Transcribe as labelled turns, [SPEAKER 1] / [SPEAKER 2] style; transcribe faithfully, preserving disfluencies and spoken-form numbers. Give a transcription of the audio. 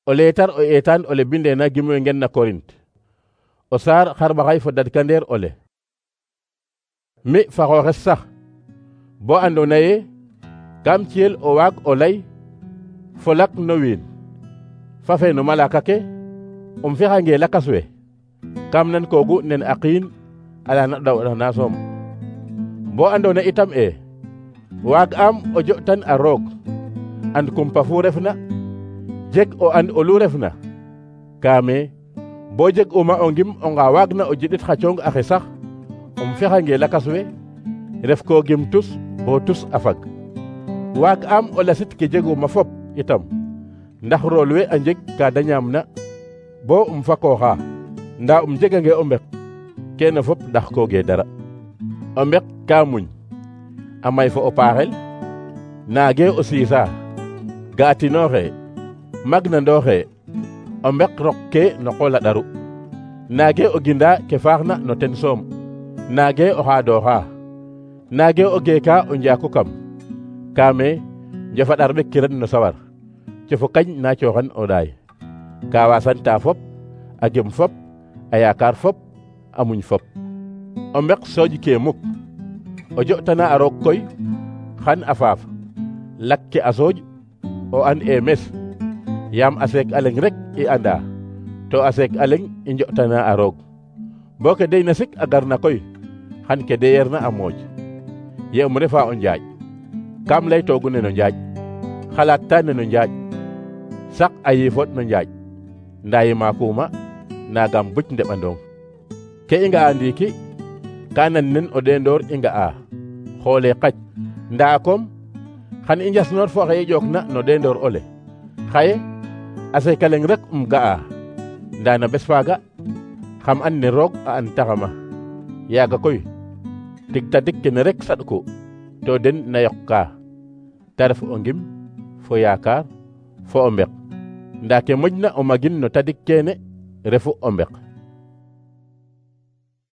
[SPEAKER 1] o leetar o eetaan ole bindeena gimwe ngen na Korint o saar xarɓaxay fo dadkandeer ole. Mi fa xooxes sax bo andoona yee kam ciyel o waag o lay fo lak no wiin fa fe no malaaka ke um fexange lakas we kam nan koogu nen a qiin ala na ɗawɗana soom. Bo andoona itam e waag am o jo'tan a roog and kumpa fu refna jeg o and olu refna kaame bo jeg uma o ngim onga waagna o jidit xa coong axe sax um fexange lakas we ref ko gim tus bo tus a fag. Waag am o lasit ke jeguma fop itam ndax rool we a njeg ka da ñaamna bo um fakooxa ndaa um jegange o mbek keene fop ndax kooge dara. O mbek ka muñ a may fo o paaxel naage o siisa ga'atinooxe magnandooxe o mbek rok ke no qool a ɗaru naage o ginda ke faaxna no ten soom naage o xaadooxa naage o geeka o njaaku kam kaame njofaɗar ɓek kiran no sawar cofo kañ na cooxan o ɗaay ka wasanta fop a gem fop a yaakaar fop a muñ fop. O mbek sooj ke muk o jo'tana a roog koy xan a faaf lak ke a sooj o an e mes yaam a seek a leŋ rek i anda to a seek a leŋ i njo'tana a roog bo ke deyna sik a garna koy xan ke deyeerna a mooj. Ye um refa o njaaƴ kam laytoogu neno njaaƴ xalaat ta neno njaaƴ sak a yiifot no njaaƴ ndaa yimaakuma naagam buc ndeɓandong. Ke i nga'a ndiiki ka nan nen o ɗeendoor i nga'a xoole qac ndaa kom xan i njasnoor fo oxe i ƴookna no ɗeendoor ole xaye a seeka leŋ rek um ga'a ndaa na bes faaga xam an ne roog a an taxama yaaga koy tig tadik kene rek saɗku to den na yoqka te ref o ngim fo yaakaar fo o mbek ndaa ke moƴna o magin no tadik keene refu o mbek.